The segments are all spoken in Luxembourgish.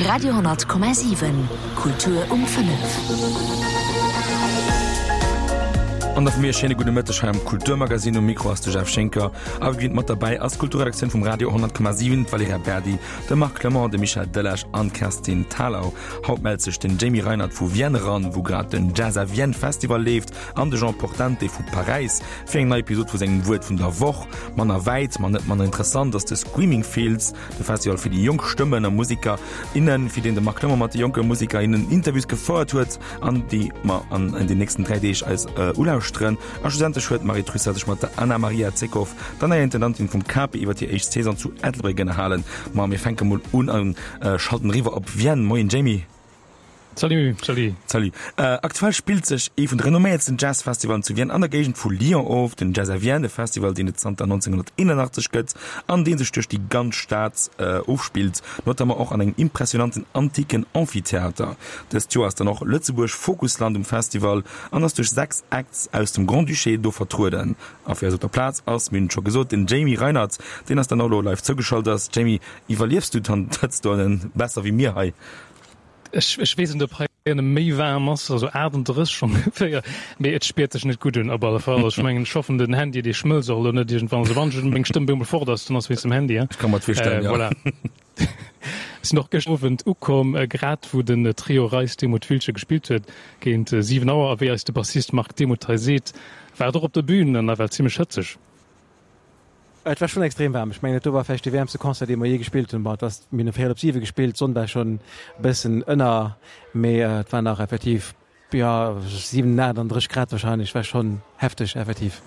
Radio,7 Kultur um 5. An da vu mir e schéine gudde Mëtteg hei am Kulturmagazin. Um Mikro ass de Jeff Schinker a wéi gewinnt mat derbäi ass d'Kulturredaktioun vum Radio 10,7, d'Valerija Berdi, de Marc Clement, de Michel Delage an d'Kerstin Thalau. Haut mellt sech den Jamie Reinert vu Vienne eran, wou grad den Jazz à Vienne Festival leeft, an de Jean Portante vu Paräis fir eng nei Episod vu sengem Wuert vun der Woch. Manner wäit, ma net manner interessant ass de Screaming Fields, de Festival fir déi jonk Stëmmen a Musiker, innen, fir deen de Marc Clement mat de jonke Musiker, innen Interviews gefouert huet an déi mer an den nächsten 3 Deeg eis ulauschteren. A schlussendlech huet d'Marie Trussart sech mat der Anna-Maria Zekoff, der neier Intendantin vum Cape, iwwer hir éischt Saison zu Ettelbréck ënnerhalen. Ma mir fänke mol un a schalten eriwwer op Vienne. Moien Jamie. Salut, salut. Salut. Aktuell spillt sech ee vun de renomméiertsten Jazzfestivalen zu Vienne an der Géigend vu Lyon of, den Jazz à Vienne, e Festival, deen et zanter 1981 gëtt an dee sech duerch déi ganz Stad ofspillt, notamment och an engem impressionanten antiken Amphitheater. Dëst Joer ass dann och Lëtzebuerg Fokusland um Festival an ass duerch 6 Acts aus dem Grand-Duché do vertrueden. A fir eis op der Plaz ass, mir hunn et scho gesot, den Jamie Reinert, deen eis dann och elo live zougeschalt ass. Jamie, iwwerliefs du d'Hëtzt dohannen besser wéi mir hei? Ech ech weess net op hei ënne méi waarm ass, also 38 ongeféier, mee et spiert sech net gutt un op alle Fall. Also ech mengen, ech hoffen den Handy dee schmëlzt och elo net iergendwann. Also wann ech meng Stëmm bemol fort ass, dann ass wéinst dem Handy, hein. Ech ka mer et virstellen, jo. Voilà. Ech sinn och gëschter Owend ukomm, grad wou den Trio Reis Demuth Wiltgen gespillt huet, géint 7 Auer. A wéi eis de Bassist Marc Demuth hei seet, war et och op der Bühn nawell zimmlech hëtzeg. Et war schonn extrem waarm. Ech mengen, dat do war vläicht dee wäermste Concert, dee mer jee gespillt hunn. Bon, et ass, mir hunn e véierel op siwe gespillt, d'Sonn war schonn e bëssen ënner, mee et war nach effektiv, jo, 7, 38 Grad warscheinlech. War schonn hefteg, effektiv.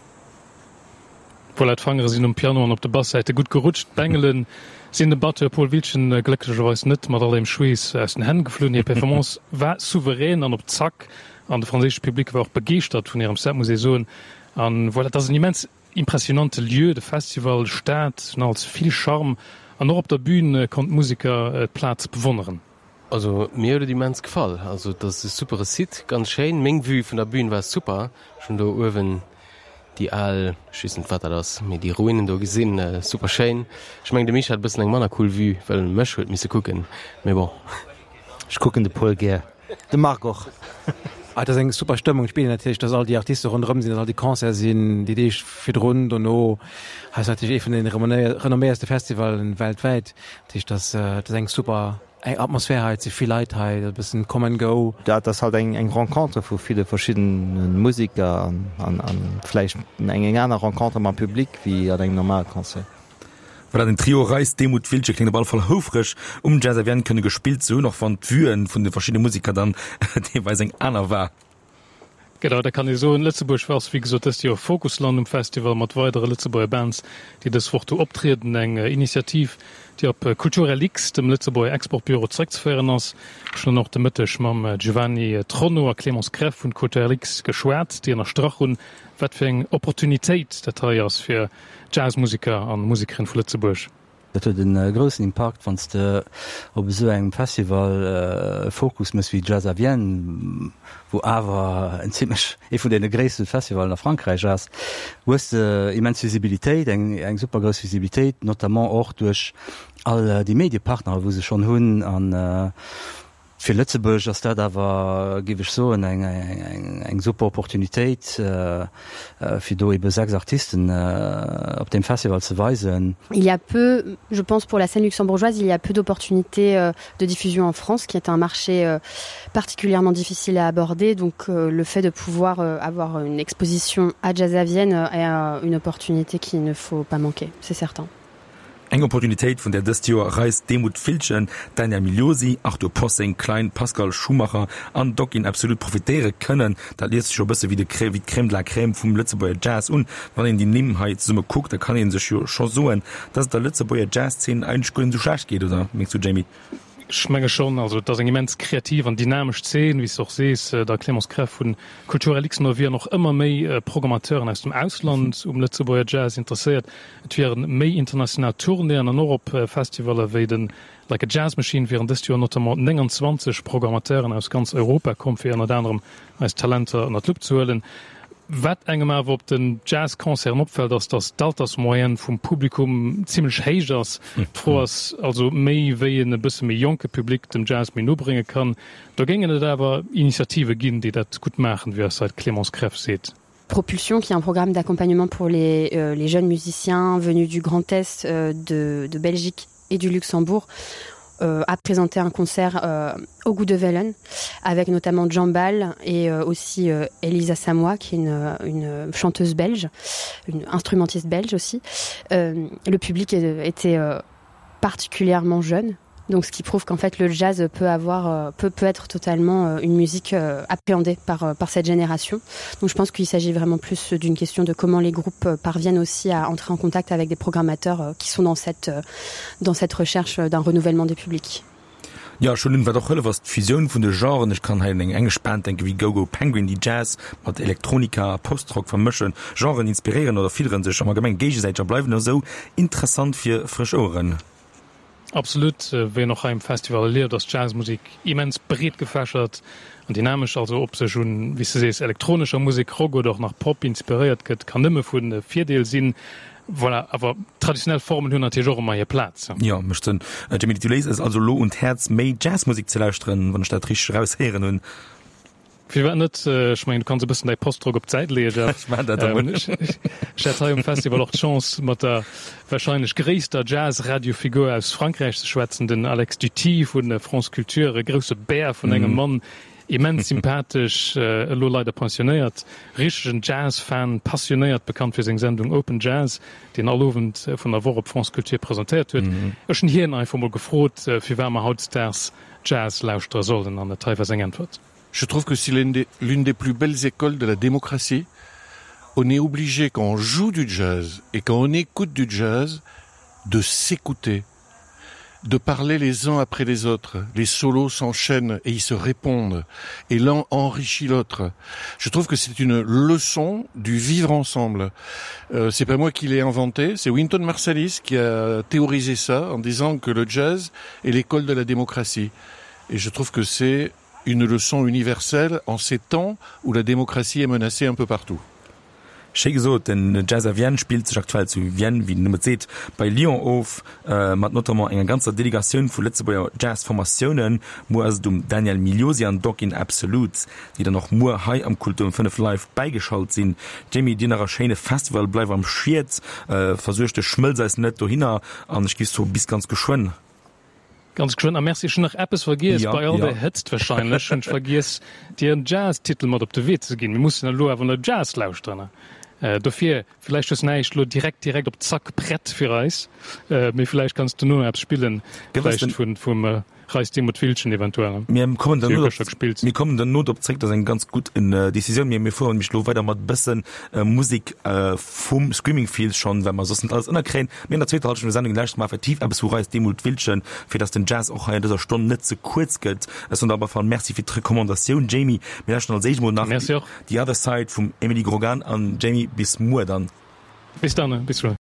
Voilà, d'Fangere sinn um Piano an op de Basssäite gutt gerutscht. D'Bengele sinn dem Batteur Paul Wiltgen glécklecherweis net mat all deem Schweess aus den Hänn geflunn. Hir Performance war souverän an op Zack an de franséische Public war och begeeschtert vun hirem Set, muss ee soen. An voilà, et ass en immens Impressionante Lieu, de Festival, Stad, als vill Charme an och op der Bühn konnt d'Museker d'Plaz bewonneren. Also mir huet et immens gefall, also et ass e supere Site, ganz schéin. Meng Vue vun der Bühn war super, ech hunn do uewen déi al, ech weess net wat dat ass, mee déi Ruinen do gesinn, super schéin. Ech mengen de Misch hat e bëssen eng manner cool Vue, well en mech huet misse kucken, mee bon. Ech kucken de Paul gär. De Marc och. Ah, et ass eng super Stëmmung. Et spiert een natierlech, dass all déi Artiste ronderëm sinn, dass all déi Concerte sinn, déi Deeg virdrun, dono. Hei ass natierlech ee vun den renomméierste Festivalen weltwäit. Dat heescht, dass et ass eng super eng Atmosphär hei, et si vill Leit hei, e bëssen come and go. Dat ass halt eng eng Rencontre vu ville verschiddene Museker an an vläicht eng eng aner Rencontre mam Public wéi an engem normale Concert. Voilà, den Trio Reis, Demuth, Wiltgen kléngt op alle Fall houfreg, um Jazz à Vienne kënne gespillt ze hunn, och wann d'Vuen vun de verschiddene Museker dann deelweis eng aner war. Genau, dat kann ee soen. Lëtzebuerg ass wéi gesot dëst Joer Fokusland um Festival mat weidere Lëtzebuerger Bands, déi dës Woch do optrieden. Eng Initiativ, déi op Culturelix, dem Lëtzebuerger Exportbüro, zeréckzeféieren ass. Ech hunn dann och de Mëtteg mam Giovanni Tronno a Clémence Greff vun Culturelix geschwat, déi ënnerstrach hunn, wat fir eng Opportunitéit dat hei ass fir Jazzmuseker an Musekerin vu Lëtzebuerg. Dat huet e groussen Impakt, wann s de op esou engem Festival e Fokus méchs wéi Jazz à Vienne, wou awer en zimlech ee vun deene gréisste Festivalen a Frankräich ass, hues de immens Visibilitéit, eng eng super grouss Visibilitéit, notamment och duerch all déi Mediepartnere wou se schonn hunn an Fir Lëtzebuerg ass dat awer, géif ech soen, eng super Opportunitéit, fir do ebe 6 Artisten op deem Festival ze weisen. Il y a peu, je pense pour la scène luxembourgeoise, il y a peu d'opportunités euh, de diffusion en France, qui est un marché euh, particulièrement difficile à aborder. Donc euh, le fait de pouvoir avoir une exposition à Jazz à Vienne est une opportunité qu'il ne faut pas manquer, c'est certain. Eng Opportunitéit, vun där dëst Joer Reis, Demuth, Viltgen, Daniel Migliosi, Arthur Possing, Klein, Pascal Schumacher an Doc In Absolute profitéiere kënnen. Dat liest sech jo e bësse wéi de wéi d'Crème de la Crème vum Lëtzebuerger Jazz un. Wann een déi Nimm hei zesumme kuckt, da kann ee sech jo scho soen, dass et der Lëtzebuerger Jazzszen eigentlech guer net esou schlecht geet, oder mengs du, Jamie? Ech menge schonn. Also et ass eng immens kreativ an dynamesch Zeen, wéi s de och sees. Der Clémence Greff vun Culturelux no wieren och ëmmer méi Programmateuren aus dem Ausland um Lëtzebuerger Jazz interesséiert. Et wieren méi international Tournéeën an och op Festivaller wéi de Like a Jazz Machine wieren dëst Joer notamment 29 Programmateuren aus ganz Europa komm, fir ënnert anerem eis Talenter ënnert d'Lupp ze huelen. Wat engem awer op den Jazzconcerten opfält, ass, datt d'Altersmoyenne vum Publikum zimmlech héich ass. D'Fro ass also méi, wéi een e bësse méi jonke Public dem Jazz méi no brénge kann. Do géingen et awer Initiative ginn, déi dat gutt maachen, wéi eis hei d'Clémence Greff seet. Propulsion qui est un programme d'accompagnement pour les, euh, les jeunes musiciens venus du Grand Est euh, de, de Belgique et du Luxembourg euh, a présenté un concert euh, au goût de Vellen avec notamment Jean Ball et euh, aussi euh, Elisa Samois qui est une, euh, une chanteuse belge, une instrumentiste belge aussi. Euh, le public était euh, particulièrement jeune donc ce qui prouve qu'en fait le jazz peut avoir euh, peut peut être totalement euh, une musique euh, appréhendée par par cette génération donc je pense qu'il s'agit vraiment plus d'une question de comment les groupes parviennent aussi à entrer en contact avec des programmateurs qui sont dans cette dans cette recherche d'un renouvellement des publics. Jo, ech hunn un, wat och hëllef ass d'Fusioun vun de Genren. Ech kann hei un eng englesch Band denken wéi Go Go Penguin, déi Jazz mat Elektronika a Post-Rock vermëschen. Genren inspiréieren oder fidderen sech am Allgemenge géigesäiteg a bleiwen esou interessant fir frësch Oueren. Absolut, wéi een och hei um Festival erlieft, ass d'Jazzmusek immens breet gefächert an dynamesch. Also ob sech un, wéi s de sees, elektronescher Musek, Rock oder och nach Pop inspiréiert gëtt, kann nëmme vu Virdeel sinn. Voilà, awer traditionell Formen hunn natierlech och ëmmer hir Plaz. Jo, mécht Sënn. Jamie, du léis eis also elo un d'Häerz, méi Jazzmusek ze lauschteren, wann ech dat richteg eraushéieren hunn. Firwat net? Ech mengen, du kanns e bëssen däi Postrock op d'Säit leeën, Jeff. Ech maachen dat da mol. Ech hat hei um Festival och d'Chance, mat der warscheinlech gréisster Jazz-Radiofigur aus Frankräich ze schwätzen, den Alex Duthie vu France Culture, e grousse Bär vun engem Mann, immens sympathesch, elo leider pensionéiert, richtegen Jazz-Fan, passionéiert, bekannt fir seng Sendung Open Jazz, déi en all Owend vun der Woch op France Culture presentéiert huet. Ech hunn hien einfach mol gefrot, firwat mer hautdesdaags Jazz lauschtere sollen, an et hei war seng Äntwert. Je trouve que c'est l'une des, des plus belles écoles de la démocratie. On est obligé quand on joue du jazz et quand on écoute du jazz de s'écouter, de parler les uns après les autres. Les solos s'enchaînent et ils se répondent et l'un enrichit l'autre. Je trouve que c'est une leçon du vivre ensemble. Euh, c'est pas moi qui l'ai inventé, c'est Winton Marsalis qui a théorisé ça en disant que le jazz est l'école de la démocratie. Et je trouve que c'est une leçon universelle en ces temps où la démocratie est menacée un peu partout. Schéi gesot, den Jazz à Vienne spillt sech aktuell zu Vienne, wéi den Numm et seet, bei Lyon of, mat notamment enger ganzer Delegatioun vu Lëtzebuerger Jazz-Formatiounen. Muer ass et um Daniel Migliosi an Dog in Absolute, déi dann och muer hei am Kultur um 5 live bäigeschalt sinn. Jamie, dir nach e schéine Festival, bleif am Schiet, versuerg dech, schmëlz eis net dohinner an ech gi soe bis ganz geschwënn. Ganz geschwënn a merci. Ech hunn nach eppes vergiess, Ja, bei all ja. der Hëtzt wahrscheinlech hunn ech vergiess, dir en Jazz-Titel mat op de Wee ze ginn. Mir mussen elo awer no Jazz lauschteren. Dofir, villäicht hues näischt elo direkt direkt op Zack prett fir eis, mee villäicht kanns du no eppes spillen, Gëff eis vläicht den. vun vum Reis Demuth Wiltgen eventuell. Mir kommen Déi hu derno gëschter gespillt. Mir kommen derno drop zréck, dat ass eng ganz gutt Decisioun. Mee mir fueren nämlech elo weider mat e bësse Musek vum Screaming Fields schonn, well mer soss net alles ënnerkréien. Mee an der zweeter Hallschent vun der Sendung lauschtere mer effektiv eppes vu Reis Demuth Wiltgen, fir dass den Jazz och hei an dëser Stonn net ze kuerz gëtt. Ech soen der op alle Fall Merci fir d'Recommandatioun, Jamie. Mir lauschteren als éischt emol nach Merci och. The Other Side vum Emily Grogan an Jamie, bis muer dann. Bis dann, bis muer.